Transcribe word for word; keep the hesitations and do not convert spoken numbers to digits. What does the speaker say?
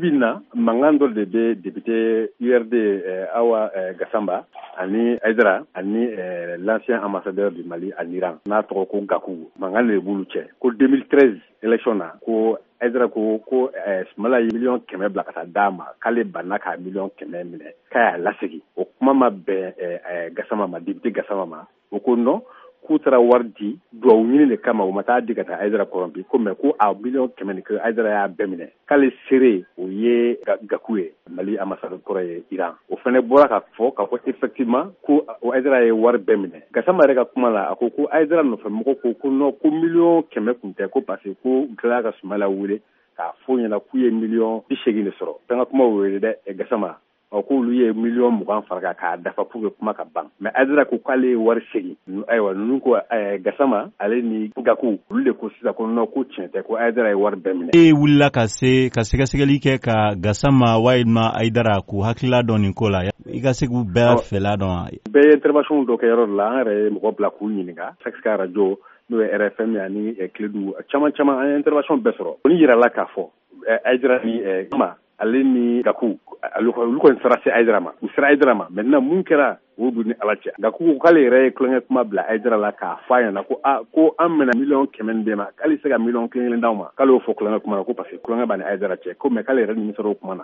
Bi na, mankan dɔ de bɛ député U R D Awa Gasamba ani Hayidara ani l'ancien ambassadeur du Mali en Iran, n'a tɔgɔ ko Gaku, mankan de b'olu cɛ ko deux mille treize élection na, ko Hayidara ko ko Sumala ye miliyɔn kɛmɛ bila ka taa d'a ma, k'ale banna k'a miliyɔn kɛmɛ minɛ, k'a y'a lasegin. O kuma ma bɛn Gasama ma, député Gasama ma. O ko non, k'u taara wari di duwawu ɲini de kama, u ma taa di ka taa Hayidara kɔrɔnpi ko, mais ko a miliyɔn kɛmɛ nin, ko Hayidara y'a bɛɛ minɛ, k'ale seere o ye Gaku ye, Mali ambassadeur kɔrɔ ye Iran. O fana bɔra ka fɔ k'a fɔ effectivement ko Hayidara ye wari bɛɛ minɛ. Gasama yɛrɛ ka kuma la, a ko ko Hayidara nɔfɛ mɔgɔ ko ko non, ko miliyɔn kɛmɛ kun tɛ, ko parce que ko u tilala ka Sumala wele k'a fɔ ɲɛna k'u ye miliyɔn bi seegin de sɔrɔ. Fɛn ka kuma wele dɛ, Gasama, ɔ k'olu ye miliyɔn mugan fara kan k'a dafa pour que kuma ka ban. Mais Hayidara ko k'ale ye wari segin. Ayiwa, ninnu ko, Gasama ale ni Gaku, olu de ko sisan ko non, ko tiɲɛ tɛ, ko Hayidara ye wari bɛɛ minɛ. E wulila ka se ka sɛgɛsɛgɛli kɛ ka Gasama walima Hayidara k'u hakilila dɔn nin ko la, i ka se k'u bɛɛ fɛla dɔn wa? Bɛɛ ye intervention dɔ kɛ yɔrɔ dɔ la. An yɛrɛ ye mɔgɔ bila k'u ɲininka, Sex radio, n'o ye R F M, ani Kledu caman caman. An ye intervention bɛɛ sɔrɔ. O ni yirala k'a fɔ Hayidara ni ma, ale ni Gaku, olu kɔni sera se Hayidara ma, u sera Hayidara ma. Maintenant, mun kɛra, o b'u ni Ala cɛ. Gaku ko k'ale yɛrɛ ye tulonkɛ kuma bila Hayidara la k'a fɔ a ɲɛna ko a ko an bɛna miliyɔn kɛmɛ nin d'e ma, k'ale se ka miliyɔn kelen kelen d'aw ma. K'ale y'o fɔ tulonkɛ kuma na, ko parce que tulonkɛ b'a ni Hayidara cɛ ko, mais k'ale yɛrɛ nimisara o kuma na.